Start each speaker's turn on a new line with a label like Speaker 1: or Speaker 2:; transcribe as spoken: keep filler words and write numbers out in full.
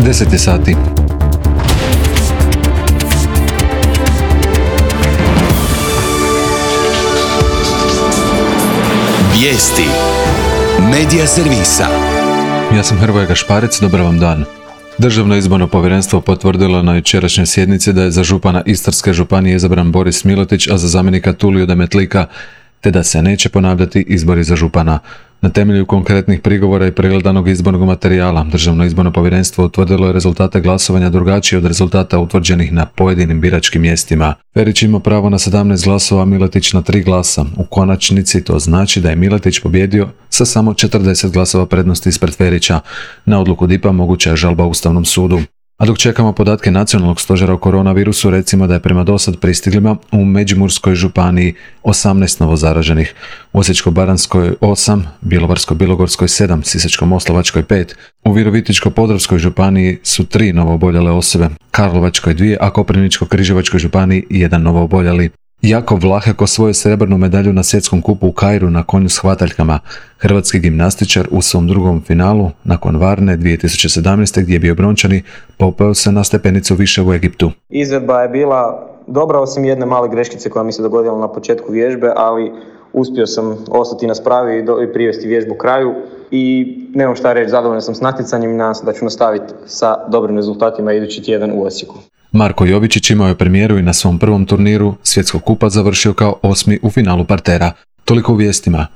Speaker 1: deset je sati.
Speaker 2: Vijesti Medija servisa.
Speaker 1: Ja sam Hrvoje Gašparec, dobar vam dan. Državno izborno povjerenstvo potvrdilo na jučerašnjoj sjednici da je za župana Istarske županije izabran Boris Miletić, a za zamjenika Tulio Demetlika, te da se neće ponavljati izbori za župana. Na temelju konkretnih prigovora i pregledanog izbornog materijala, Državno izborno povjerenstvo utvrdilo je rezultate glasovanja drugačije od rezultata utvrđenih na pojedinim biračkim mjestima. Ferić ima pravo na sedamnaest glasova, Miletić na tri glasa. U konačnici to znači da je Miletić pobjedio sa samo četrdeset glasova prednosti ispred Ferića. Na odluku D I P-a moguća je žalba Ustavnom sudu. A dok čekamo podatke Nacionalnog stožera o koronavirusu, recimo da je prema dosad pristiglima u Međimurskoj županiji osamnaest novozaraženih, u Osječko-baranjskoj osam, Bjelovarsko-bilogorskoj sedam, Sisačko-moslavačkoj pet, u Virovitičko-podravskoj županiji su tri novooboljele osobe, Karlovačkoj dvije, a Koprivničko-križevačkoj županiji jedan novooboljeli. Jakov Vlahek osvojio srebrnu medalju na svjetskom kupu u Kairu na konju s hvataljkama. Hrvatski gimnastičar u svom drugom finalu, nakon Varne dvije tisuće sedamnaeste. gdje je bio brončani, popeo se na stepenicu više u Egiptu.
Speaker 3: Izvedba je bila dobra, osim jedne male greškice koja mi se dogodila na početku vježbe, ali uspio sam ostati na spravi i privesti vježbu kraju i nemam šta reći, zadovoljan sam s natjecanjem i nadam se da ću nastaviti sa dobrim rezultatima idući tjedan u Osijeku.
Speaker 1: Marko Jovičić imao je premijeru i na svom prvom turniru svjetskog kupa završio kao osmi u finalu partera. Toliko u vijestima.